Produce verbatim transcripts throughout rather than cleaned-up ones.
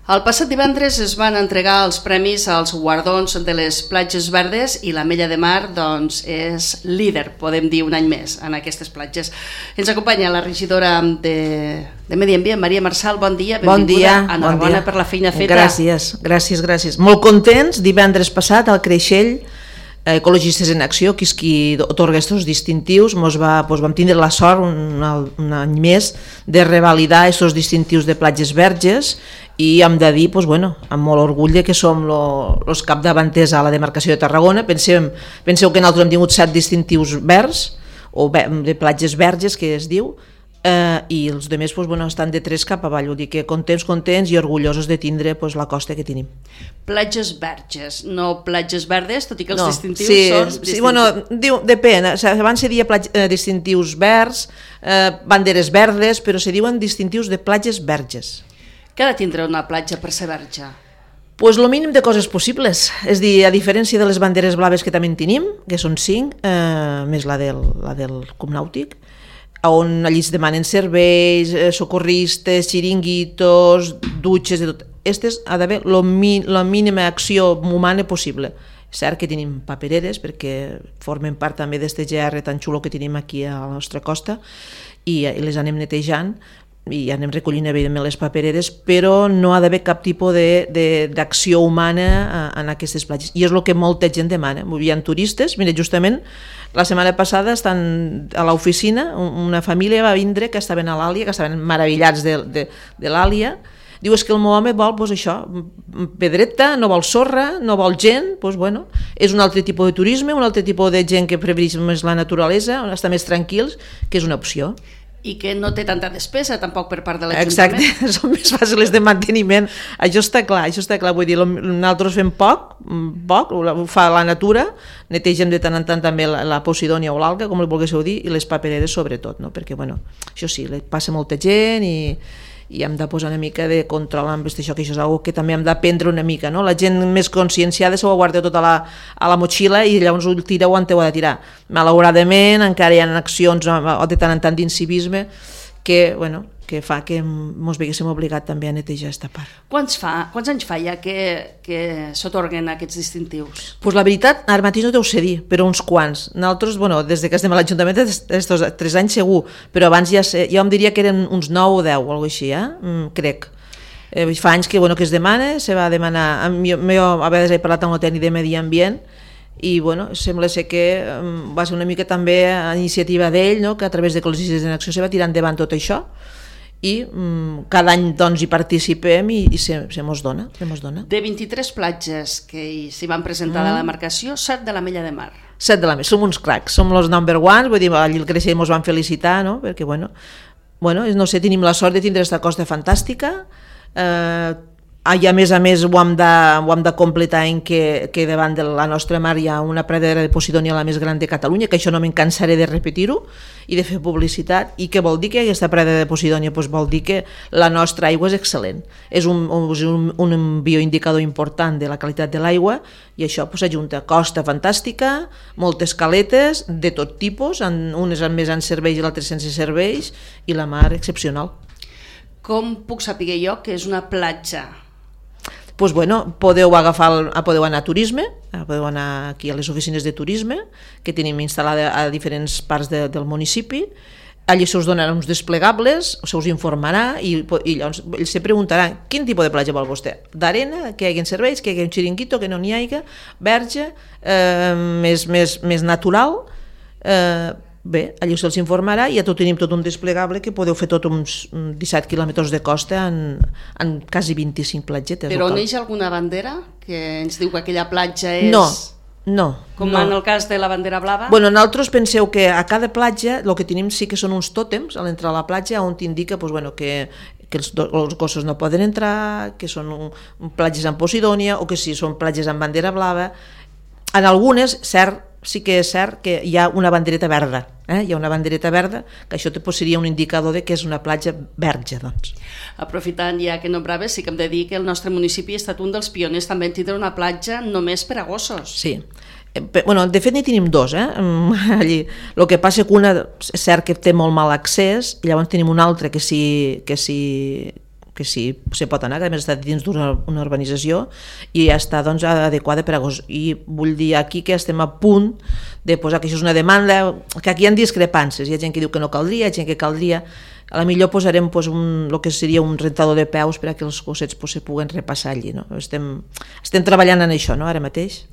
El passat divendres es van entregar els premis als guardons de les platges verdes i l'Ametlla de Mar doncs, és líder, podem dir, un any més en aquestes platges. Ens acompanya la regidora de, de Medi Ambient, Maria Marçal. Bon dia, benvinguda. Bon dia. Enhorabona bon dia. per la feina feta. Gràcies, gràcies, gràcies. Molt contents, divendres passat al Creixell, Ecologistes en Acció, que és qui otorga aquests distintius, mos va, doncs vam tindre la sort un, un any més de revalidar aquests distintius de platges verges i hem de dir, doncs, bueno, amb molt orgull que som els capdavanters a la demarcació de Tarragona. Pensem, penseu que nosaltres hem tingut set distintius verds, o de platges verges, que es diu, eh, i els altres doncs, bueno, estan de tres cap avall, vull dir que contents, contents i orgullosos de tindre doncs, la costa que tenim. Platges verges, no platges verdes, tot i que els no, distintius sí, són... Distintius. Sí, bueno, diu, depèn, abans se dia platge, eh, distintius verds, eh, banderes verdes, però se diuen distintius de platges verges. Què ha de tindre una platja per ser verge? Pues lo mínim de coses possibles, és dir, a diferència de les banderes blaves que també en tenim, que són cinc, eh, més la del, la del Club Nàutic, on allí es demanen serveis, eh, socorristes, xiringuitos, dutxes, de tot. Aquestes ha d'haver la mi, mínima acció humana possible. És cert que tenim papereres, perquè formen part també d'aquest G R tan xulo que tenim aquí a la nostra costa, i, i les anem netejant, i anem recollint evidentment les papereres, però no ha d'haver cap tipus d'acció humana en aquestes platges, i és el que molta gent demana. Hi ha turistes, mira, justament la setmana passada estan a l'oficina, una família va vindre que estaven a l'Àlia, que estaven meravellats de, de, de l'Àlia. Diu, és que el meu home vol pues, això, pedreta, no vol sorra, no vol gent, pues, bueno, és un altre tipus de turisme, un altre tipus de gent que prefereix més la naturalesa, està més tranquils, que és una opció. I que no té tanta despesa tampoc per part de l'Ajuntament. Exacte, són més fàcils de manteniment, això està clar, això està clar, vull dir, nosaltres fem poc, poc, ho fa la natura, netegem de tant en tant també la, la Posidònia o l'alga, com li volguéssiu dir, i les papereres sobretot, no? Perquè, bueno, això sí, passa molta gent i, i hem de posar una mica de control amb això, que això és una que també hem d'aprendre una mica, no? La gent més conscienciada se ho guarda tot a la, a la motxilla i llavors ho tira on ho ha de tirar. Malauradament encara hi ha accions o de tant en tant d'incivisme que, bueno, que fa que ens veguéssim obligat també a netejar aquesta part. Quants, fa, quants anys fa ja que, que s'atorguen aquests distintius? Pues la veritat, ara mateix no t'ho sé dir, però uns quants. Nosaltres, bueno, des que estem a l'Ajuntament, estos tres anys segur, però abans ja sé, jo em diria que eren uns nou o deu, o alguna cosa així, eh? Mm, crec. Eh, fa anys que, bueno, que es demana, se va demanar, jo, jo a vegades he parlat amb el tècnic de Medi Ambient, i bueno, sembla ser que um, va ser una mica també a iniciativa d'ell, no? Que a través de Ecologistes en Acció se va tirar endavant tot això, i um, cada any doncs hi participem i, i se, se mos dona, se mos dona. De vint-i-tres platges que s'hi van presentar mm. de la demarcació, set de l'Ametlla de Mar. Set de l'Ametlla, som uns cracs, som els number one, vull dir, allà el Creixell mos van felicitar, no? Perquè bueno, bueno, no sé, tenim la sort de tindre aquesta costa fantàstica, eh, i a més a més ho hem de, ho hem de completar en que, que davant de la nostra mar hi ha una pradera de Posidònia la més gran de Catalunya, que això no me'n cansaré de repetir-ho i de fer publicitat. I què vol dir que aquesta pradera de Posidònia? Pues vol dir que la nostra aigua és excel·lent, és un, un, un bioindicador important de la qualitat de l'aigua, i això pues, ajunta costa fantàstica, moltes caletes de tot tipus, unes amb més en serveis i l'altres sense serveis, i la mar excepcional. Com puc saber jo que és una platja? Pues bueno, podeu agafar, el, podeu anar a turisme, podeu anar aquí a les oficines de turisme que tenim instal·lades a diferents parts de, del municipi. Allí se us donaran uns desplegables, se us informarà i, i llavors ells se preguntaran quin tipus de platja vol vostè, d'arena, que hi hagi serveis, que hi hagi un xiringuito, que no n'hi hagi, verge, eh, més, més, més natural. Eh, bé, allí se'ls informarà i ja tot tenim tot un desplegable que podeu fer tot uns disset quilòmetres de costa en, en quasi vint-i-cinc platgetes. Però on neix alguna bandera que ens diu que aquella platja és... No, no. Com no. en el cas de la bandera blava? Bueno, nosaltres penseu que a cada platja el que tenim sí que són uns tòtems a l'entrar a la platja on t'indica pues, bueno, que, que els, els gossos no poden entrar, que són un, un platges amb Posidònia o que si són platges amb bandera blava. En algunes, cert, sí que és cert que hi ha una bandereta verda, eh? Hi ha una bandereta verda, que això seria un indicador de que és una platja verge, doncs. Aprofitant ja que nombraves, sí que hem de dir que el nostre municipi ha estat un dels pioners també en tindre una platja només per a gossos. Sí, bueno, de fet n'hi tenim dos, eh? Allí. El que passa que una és cert que té molt mal accés, i llavors tenim una altra que sí, que sí que sí, se pot anar, que a més està dins d'una una urbanització i ja està doncs, adequada per a gos. I vull dir aquí que estem a punt de posar que això és una demanda, que aquí hi ha discrepàncies, hi ha gent que diu que no caldria, hi ha gent que caldria. A la millor posarem pues, un, el que seria un rentador de peus per a que els gossets pues, se puguen repassar allí. No? Estem, estem treballant en això, no? Ara mateix.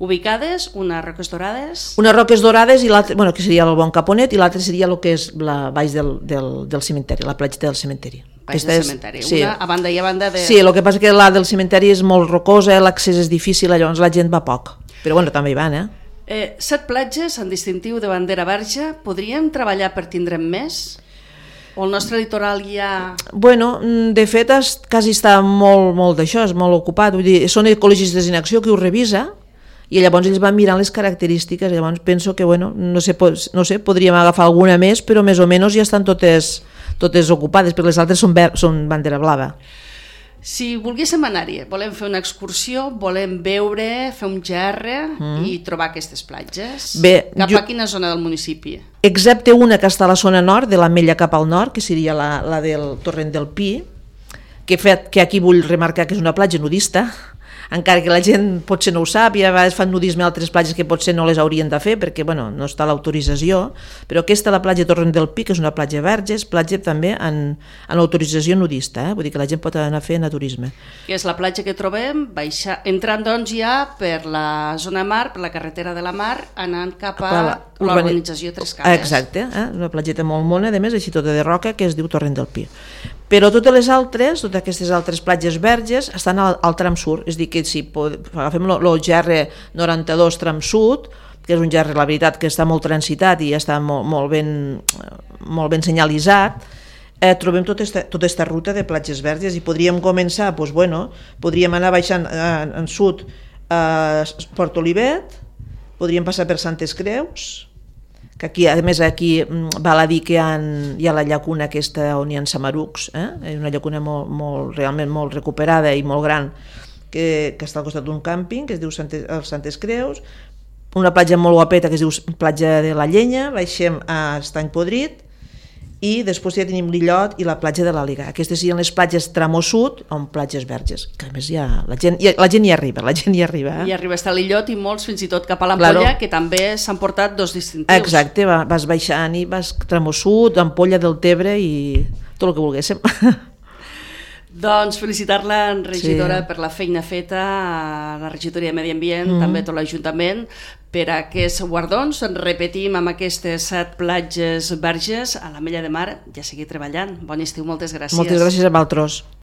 Ubicades, unes roques dorades... Unes roques dorades, i l'altre, bueno, que seria el Bon Caponet, i l'altre seria el que és la baix del, del, del cementeri, la platja del cementeri. Baix del cementeri, és, sí. Una a banda i a banda de... Sí, el que passa que la del cementeri és molt rocosa, l'accés és difícil, llavors la gent va poc. Però bueno, també hi van, eh? eh set platges en distintiu de bandera verge, podríem treballar per tindre'n més? O el nostre litoral ja... Bueno, de fet, es, quasi està molt, molt d'això, és molt ocupat. Vull dir, són ecologistes en acció que ho revisa i llavors ells van mirant les característiques. Llavors penso que, bueno, no sé, no sé, podríem agafar alguna més, però més o menys ja estan totes, totes ocupades, perquè les altres són, ver, són bandera blava. Si volguéssim anar-hi, volem fer una excursió, volem veure, fer un G R mm. i trobar aquestes platges. Bé, cap jo... a quina zona del municipi? Excepte una que està a la zona nord, de l'Ametlla cap al nord, que seria la, la del Torrent del Pi, que, fet, que aquí vull remarcar que és una platja nudista, encara que la gent potser no ho sap, i a vegades fan nudisme a altres platges que potser no les haurien de fer perquè bueno, no està l'autorització, però aquesta, la platja Torrent del Pi, que és una platja verge, és platja també en, en autorització nudista, eh? Vull dir que la gent pot anar a fer naturisme. Que és la platja que trobem, baixa, entrant doncs ja per la zona mar, per la carretera de la mar, anant cap a l'urbanització Tres Cases. Exacte, eh? Una platgeta molt mona, a més, així tota de roca, que es diu Torrent del Pi. Però totes les altres, totes aquestes altres platges verges estan al, al tram sud, és a dir, que si pod... agafem el G R noranta-dos tram sud, que és un G R, la veritat, que està molt transitat i està molt, molt, ben, molt ben senyalitzat, eh, trobem tota esta, tota esta ruta de platges verges i podríem començar, doncs, bueno, podríem anar baixant eh, en sud a Port Olivet, podríem passar per Santes Creus, que aquí, a més, aquí val a dir que hi ha, hi ha la llacuna aquesta on hi ha samarucs, eh? Una llacuna molt, molt, realment molt recuperada i molt gran, que, que està al costat d'un càmping, que es diu Santes, Santes Creus, una platja molt guapeta que es diu platja de la Llenya, baixem a Estany Podrit, i després ja tenim l'Illot i la platja de l'Àliga. Aquestes serien les platges tramo sud, on platges verges, que a més ja, la, gent, ja, la gent hi arriba, la gent hi arriba. Eh? Hi arriba està l'Illot i molts fins i tot cap a l'Ampolla, claro. Que també s'han portat dos distintius. Exacte, vas baixant i vas tramo sud, Ampolla del Tebre i tot el que volguéssim. Doncs felicitar-la, regidora, sí. Per la feina feta a la regidoria de Medi Ambient, mm. també tot l'Ajuntament, per a aquests guardons. Repetim amb aquestes set platges verges a l'Ametlla de Mar, ja seguir treballant. Bon estiu, moltes gràcies. Moltes gràcies a vosaltres.